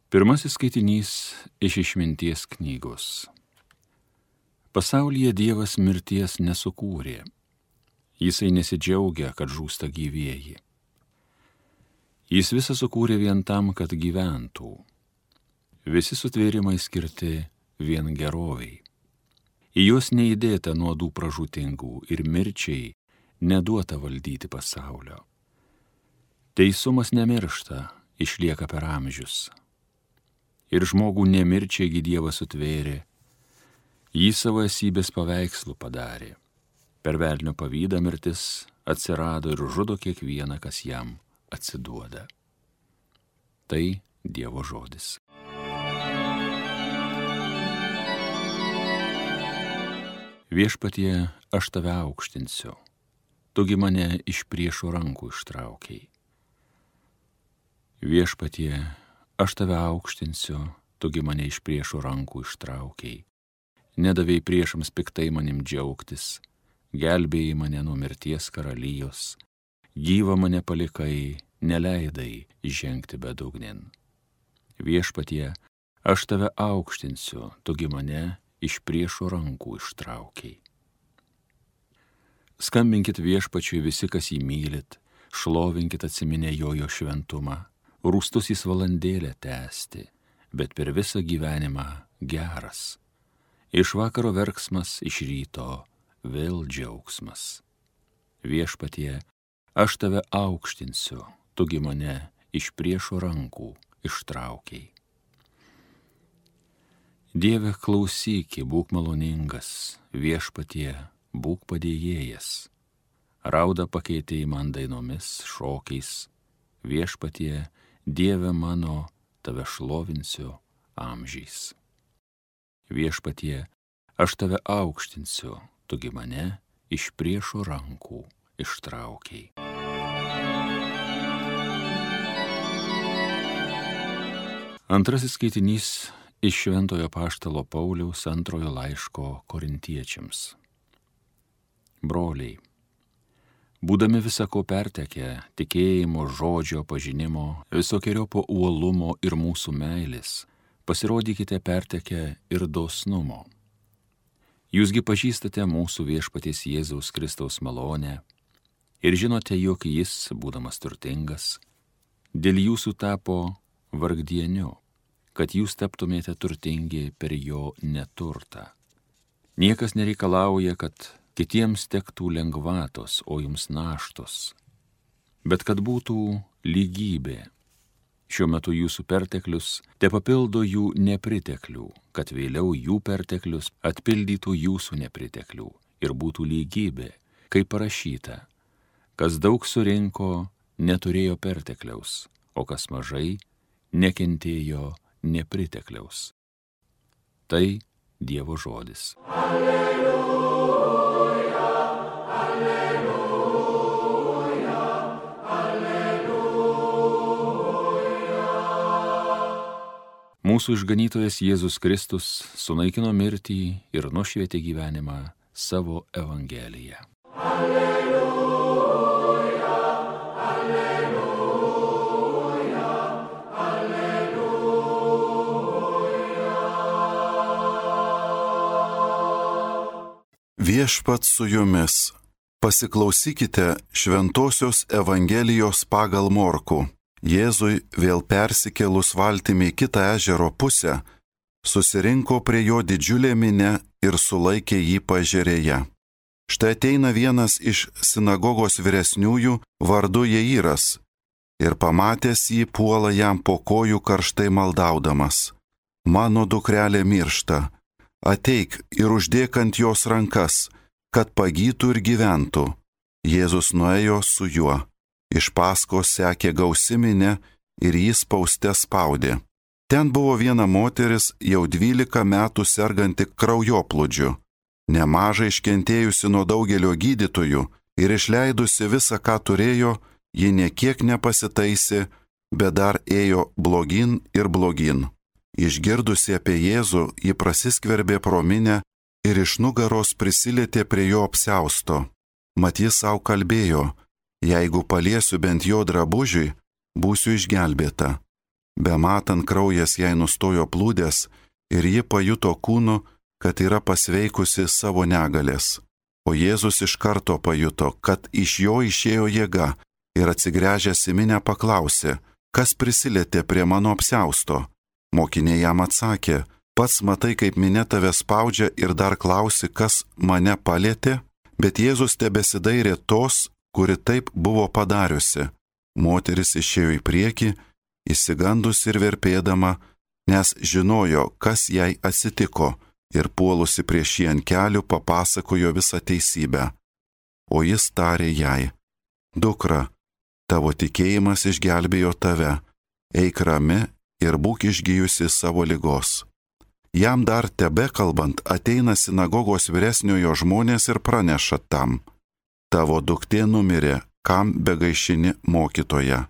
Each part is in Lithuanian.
Pirmasis skaitinys iš Išminties knygos. Pasaulyje Dievas mirties nesukūrė. Jisai nesidžiaugia, kad žūsta gyvieji. Jis visą sukūrė vien tam, kad gyventų. Visi sutvėrimai skirti vien geroviai. Į juos neįdėta nuodų pražūtingų ir mirčiai neduota valdyti pasaulio. Teisumas nemiršta, išlieka per amžius. Ir žmogų nemirčiaigi Dievas sutvėrė, jį savo esybės paveikslų padarė. Per velnio pavydą mirtis atsirado ir žudo kiekvieną, kas jam atsiduoda. Tai Dievo žodis. Viešpatie, aš tave aukštinsiu, tugi mane iš priešo rankų ištraukiai. Viešpatie, aš tave aukštinsiu, tugi mane iš priešo rankų ištraukiai. Nedavėjai priešams piktai manim džiaugtis, gelbėjai mane nuo mirties karalijos, gyvą mane palikai, neleidai žengti bedugnin. Viešpatie, aš tave aukštinsiu, tugi mane iš priešo rankų ištraukiai. Skambinkit Viešpačiui visi, kas jį mylit, šlovinkit atsiminę jo šventumą, rūstus jis valandėlę tęsti, bet per visą gyvenimą geras. Iš vakaro verksmas, iš ryto vėl džiaugsmas. Viešpatie, aš tave aukštinsiu, tugi mane iš priešo rankų ištraukiai. Dieve, klausyki, būk maloningas, Viešpatie, būk padėjėjas. Raudą pakeitei man dainomis, šokiais, Viešpatie, Dieve mano, tave šlovinsiu amžiais. Viešpatie, aš tave aukštinsiu, tugi mane iš priešo rankų ištraukiai. Antrasis skaitinys iš Šventojo Apaštalo Pauliaus antrojo laiško Korintiečiams. Broliai, būdami visako pertekę, tikėjimo, žodžio, pažinimo, visokiojopo uolumo ir mūsų meilės, pasirodykite pertekę ir dosnumo. Jūsgi pažįstate mūsų Viešpaties Jėzaus Kristaus malonę ir žinote, jog jis, būdamas turtingas, dėl jūsų tapo vargdieniu, kad jūs taptumėte turtingi per jo neturtą. Niekas nereikalauja, kad kitiems tektų lengvatos, o jums naštos, bet kad būtų lygybė. Šiuo metu jūsų perteklius te papildo jų nepriteklių, kad vėliau jų perteklius atpildytų jūsų nepriteklių ir būtų lygybė, kaip parašyta, kas daug surinko, neturėjo pertekliaus, o kas mažai, nekentėjo nepritekliaus. Tai Dievo žodis. Mūsų išganytojas Jėzus Kristus sunaikino mirtį ir nušvietė gyvenimą savo Evangeliją. Alleluja, alleluja, alleluja. Viešpats su jumis. Pasiklausykite Šventosios Evangelijos pagal Morkų. Jėzui vėl persikėlus valtimi į kitą ežero pusę, susirinko prie jo didžiulė minia ir sulaikė jį paežerėje. Štai ateina vienas iš sinagogos vyresniųjų vardu Jairas ir pamatęs jį puola jam po kojų karštai maldaudamas. Mano dukrelė miršta, ateik ir uždėk ant jos rankas, kad pagytų ir gyventų. Jėzus nuėjo su juo. Iš paskos sekė gausi minia ir jį spauste spaudė. Ten buvo viena moteris, jau 12 metų serganti kraujoplūdžiu, nemažai iškentėjusi nuo daugelio gydytojų ir išleidusi visą, ką turėjo, ji niekiek nepasitaisė, bet dar ėjo blogyn ir blogyn. Išgirdusi apie Jėzų, ji prasiskverbė pro minią ir iš nugaros prisilietė prie jo apsiausto. Mat jis savo kalbėjo, jeigu paliesiu bent jo drabužiui, būsiu išgelbėta. Bematant kraujas jai nustojo plūdęs ir ji pajuto kūnu, kad yra pasveikusi savo negalės. O Jėzus iš karto pajuto, kad iš jo išėjo jėga ir atsigręžęs į minią paklausė, kas prisilietė prie mano apsiausto. Mokiniai jam atsakė, pats matai, kaip minia tave spaudžia ir dar klausi, kas mane palietė? Bet Jėzus tebesidairė tos, kuri taip buvo padariusi. Moteris išėjo į priekį, išsigandus ir verpėdama, nes žinojo, kas jai atsitiko, ir puolusi prieš jį ant kelių papasakojo visą teisybę. O jis tarė jai, dukra, tavo tikėjimas išgelbėjo tave, eik rami ir būk išgijusi savo ligos. Jam dar tebekalbant ateina sinagogos vyresniojo žmonės ir praneša tam, tavo duktė numirė, kam begaišini mokytoja.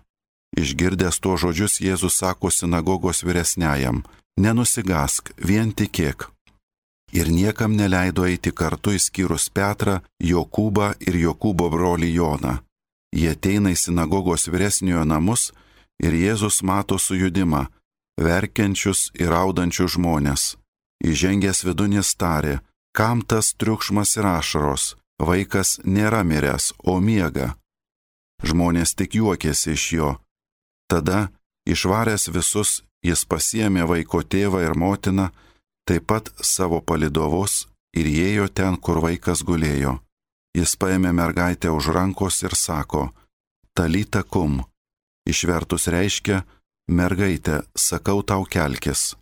Išgirdęs tuos žodžius Jėzus sako sinagogos vyresniajam, nenusigask, vien tikėk. Ir niekam neleido eiti kartu išskyrus Petrą, Jokūbą ir Jokūbo brolį Joną. Jie ateina į sinagogos vyresniojo namus ir Jėzus mato sujudimą, verkiančius ir raudančius žmonės. Įžengęs vidun jis tarė, kam tas triukšmas ir ašaros, vaikas nėra miręs, o miega. Žmonės tik juokėsi iš jo. Tada, išvaręs visus, jis pasiėmė vaiko tėvą ir motiną, taip pat savo palydovus ir įėjo ten, kur vaikas gulėjo. Jis paėmė mergaitę už rankos ir sako, talita kum. Išvertus reiškia, mergaitė, sakau tau kelkis.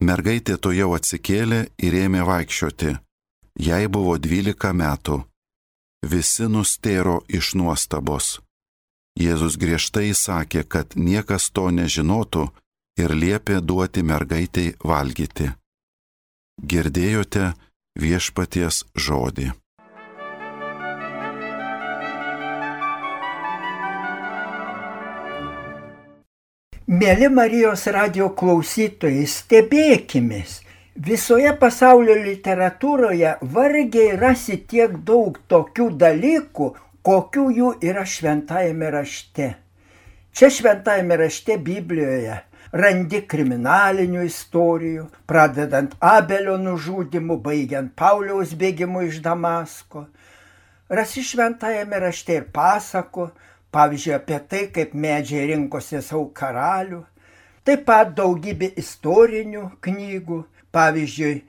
Mergaitė tuojau atsikėlė ir ėmė vaikščioti. Jai buvo 12 metų. Visi nustėro iš nuostabos. Jėzus griežtai įsakė, kad niekas to nežinotų ir liepė duoti mergaitei valgyti. Girdėjote viešpaties žodį. Mėly Marijos radijo klausytojai, stebėkimės. Visoje pasaulio literatūroje vargiai rasi tiek daug tokių dalykų, kokių jų yra šventajame rašte. Čia šventajame rašte Biblijoje randi kriminalinių istorijų, pradedant Abelio nužudymu, baigiant Pauliaus bėgimu iš Damasko. Rasi šventajame rašte ir pasakų, pavyzdžiui, apie tai, kaip medžiai rinkosi savo karalių. Taip pat daugybė istorinių knygų, pavyzdžiui,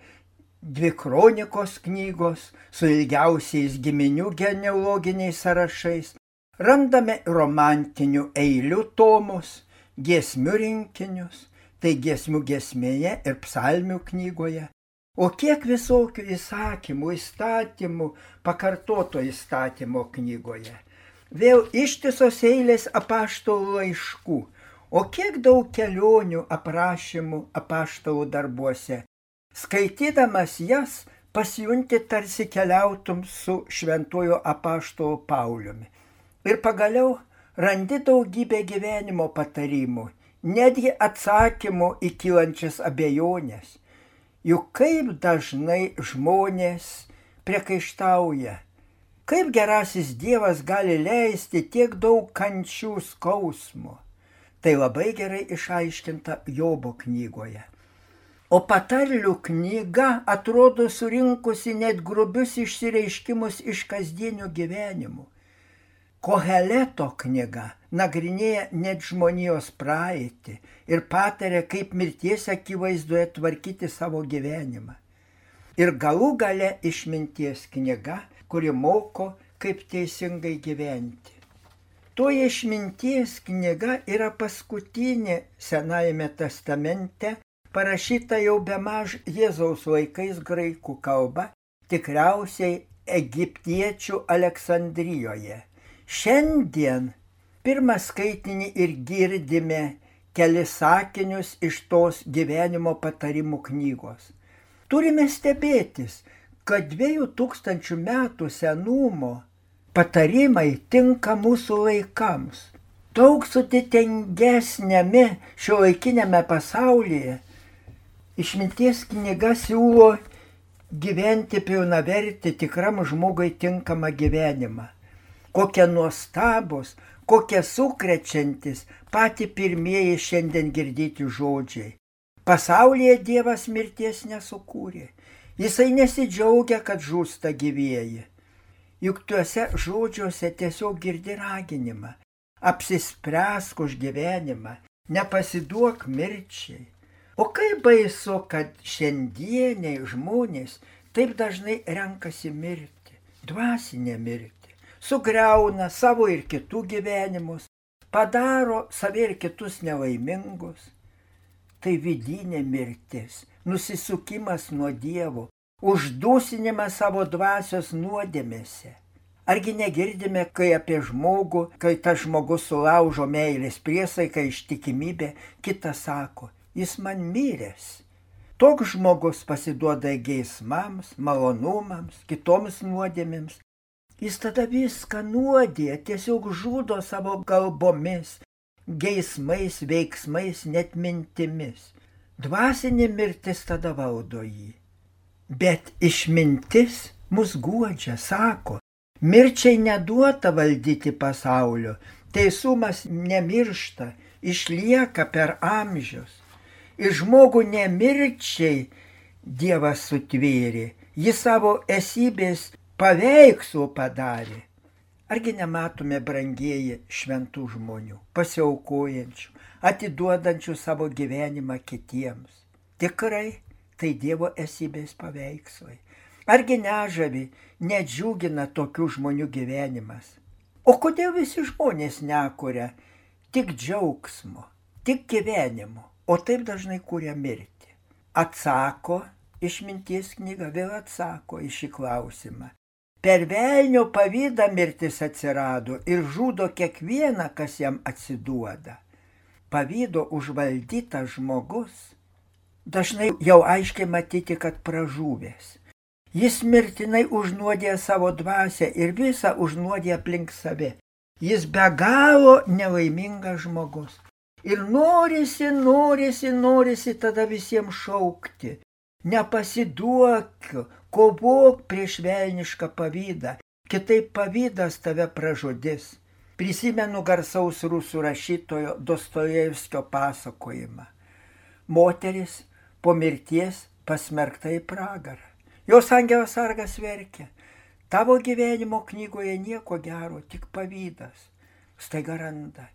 2 kronikos knygos su ilgiausiais giminių genealoginiais sąrašais. Randame romantinių eilių tomus, giesmių rinkinius, tai giesmių giesmėje ir psalmių knygoje. O kiek visokių įsakymų, įstatymų, pakartoto įstatymo knygoje. Vėl ištisos eilės apaštalų laiškų, o kiek daug kelionių aprašymų apaštalų darbuose. Skaitydamas jas, pasijunti tarsi keliautum su šventuoju apaštalu Pauliumi. Ir pagaliau randi daugybę gyvenimo patarimų, netgi atsakymų į kylančias abejonės. Juk kaip dažnai žmonės priekaištauja, kaip gerasis Dievas gali leisti tiek daug kančių skausmo. Tai labai gerai išaiškinta Jobo knygoje. O patarlių knyga atrodo surinkusi net grubius išsireiškimus iš kasdienio gyvenimo. Koheleto knyga nagrinėja net žmonijos praeitį ir pataria, kaip mirties akivaizdoje tvarkyti savo gyvenimą. Ir galų gale išminties knyga, kuri moko, kaip teisingai gyventi. Toji išminties knyga yra paskutinė Senajame testamente, parašyta jau bemaž Jėzaus laikais graikų kalba, tikriausiai egiptiečių Aleksandrijoje. Šiandien pirmą skaitinį ir girdime kelis sakinius iš tos gyvenimo patarimų knygos. Turime stebėtis, kad 2000 metų senumo patarimai tinka mūsų laikams. Daug sudėtingesnėme šiuolaikinėme pasaulyje išminties knyga siūlo gyventi pilnavertį tikram žmogui tinkamą gyvenimą. Kokie nuostabus, kokie sukrečiantis pati pirmieji šiandien girdėti žodžiai. Pasaulyje Dievas mirties nesukūrė. Jisai nesidžiaugia, kad žūsta gyvieji. Juk tuose žodžiuose tiesiog girdi raginimą. Apsispręsk už gyvenimą, nepasiduok mirčiai. O kaip baisu, kad šiandieniai žmonės taip dažnai renkasi mirti, dvasinę mirtį, sugriauna savo ir kitų gyvenimus, padaro save ir kitus nelaimingus. Tai vidinė mirtis, nusisukimas nuo Dievo, uždusinimas savo dvasios nuodėmėse. Argi negirdime, kai apie žmogų, kai tas žmogus sulaužo meilės priesaiką ištikimybę, kitas sako, jis man miręs. Toks žmogus pasiduoda geismams, malonumams, kitoms nuodėmėms. Jis tada viską nuodė, tiesiog žudo savo kalbomis, geismais, veiksmais, net mintimis. Dvasinė mirtis tada valdo jį. Bet išmintis mus guodžia, sako, mirčiai neduota valdyti pasaulio, teisumas nemiršta, išlieka per amžius. Ir žmogų nemirčiai Dievas sutvėrė, jis savo esybės paveikslų padarė. Argi nematome, brangieji, šventų žmonių, pasiaukojančių, atiduodančių savo gyvenimą kitiems? Tikrai tai Dievo esybės paveikslai. Argi nežavi, nedžiugina tokių žmonių gyvenimas? O kodėl visi žmonės nekuria tik džiaugsmo, tik gyvenimo, o taip dažnai kuria mirtį? Atsako išminties knyga, vėl atsako į šį klausimą. Per velnio pavydą mirtis atsirado ir žudo kiekvieną, kas jam atsiduoda. Pavydo užvaldytas žmogus dažnai jau aiškiai matyti, kad pražuvęs. Jis mirtinai užnuodė savo dvasią ir visą užnuodė aplink save. Jis be galo nelaimingas žmogus. Ir norisi tada visiems šaukti. Nepasiduok, kovok prieš velnišką pavydą, kitaip pavydas tave pražudys. Prisimenu garsaus rusų rašytojo Dostojevskio pasakojimą. Moteris po mirties pasmerkta į pragarą. Jos angelas sargas verkia. Tavo gyvenimo knygoje nieko gero, tik pavydas. Staiga randa,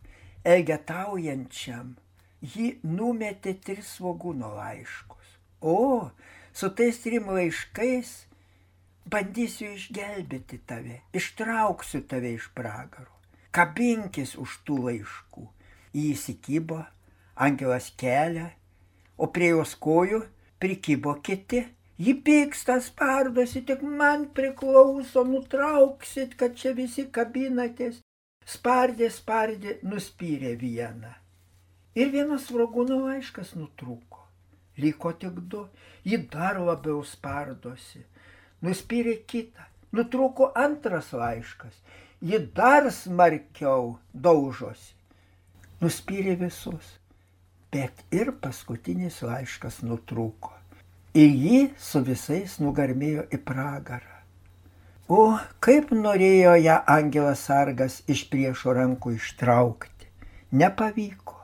elgetaujančiam jį numetė 3 svogūno laiškus. O, su tais 3 laiškais bandysiu išgelbėti tave, ištrauksiu tave iš pragaro. Kabinkis už tų laiškų. Jį įsikibo, angelas kelia, o prie jos kojų prikibo kiti. Ji pyksta, spardosi, tik man priklauso, nutrauksit, kad čia visi kabinatės. Spardė, nuspyrė vieną. Ir vienas svogūno laiškas nutrūko. Liko tik 2. Ji dar labiau spardosi. Nuspyrė kitą. Nutrūko antras laiškas. Ji dar smarkiau daužosi. Nuspyrė visus. Bet ir paskutinis laiškas nutrūko. Ir ji su visais nugarmėjo į pragarą. O kaip norėjo ją angelas sargas iš priešo rankų ištraukti. Nepavyko.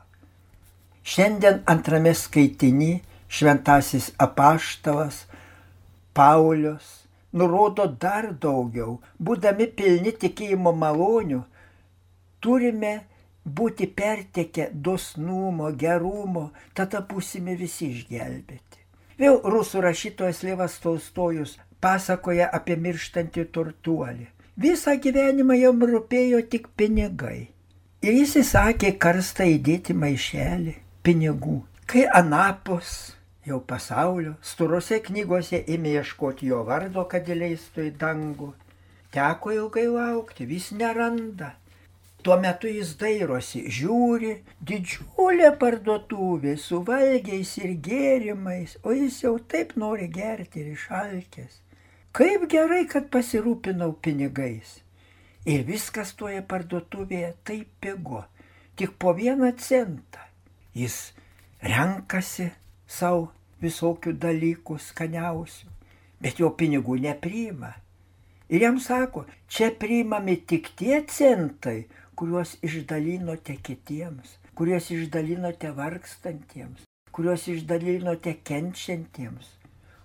Šiandien antrame skaitiny šventasis apaštalas Paulius nurodo dar daugiau. Būdami pilni tikėjimo malonių, turime būti pertekę dosnumo, gerumo, tada būsime visi išgelbėti. Vėl rusų rašytojas Levas Tolstojus pasakoja apie mirštantį turtuolį. Visą gyvenimą jam rūpėjo tik pinigai. Ir jis įsakė karstą įdėti maišelį pinigų. Kai anapus jau pasaulio storose knygose ėmė ieškoti jo vardo, kad įleistų į dangų, teko ilgai laukti, vis neranda. Tuo metu jis dairosi, žiūri, didžiulė parduotuvė su valgiais ir gėrimais, o jis jau taip nori gerti ir išalkęs. Kaip gerai, kad pasirūpinau pinigais. Ir viskas toje parduotuvėje taip pigu, tik po 1 centą. Jis renkasi savo visokių dalykų skaniausių, bet jo pinigų nepriima. Ir jam sako, čia priimami tik tie centai, kuriuos išdalinote kitiems, kuriuos išdalinote vargstantiems, kuriuos išdalinote kenčiantiems.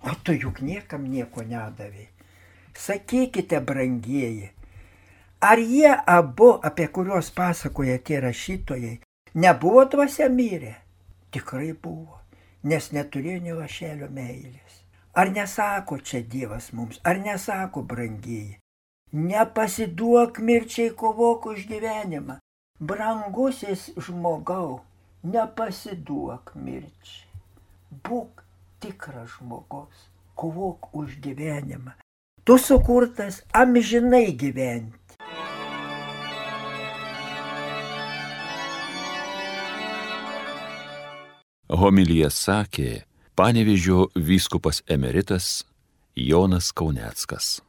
O tu juk niekam nieko nedavei. Sakykite, brangieji, ar jie abu, apie kuriuos pasakoja tie rašytojai, nebuvo dvasia mirę? Tikrai buvo, nes neturėjo nė lašelio meilės. Ar nesako čia Dievas mums, ar nesako, brangieji, nepasiduok mirčiai, kovok už gyvenimą. Brangusis žmogau, nepasiduok mirčiai. Būk tikras žmogus, kovok už gyvenimą. Tu sukurtas amžinai gyventi. Homiliją sakė Panevėžio vyskupas emeritas Jonas Kauneckas.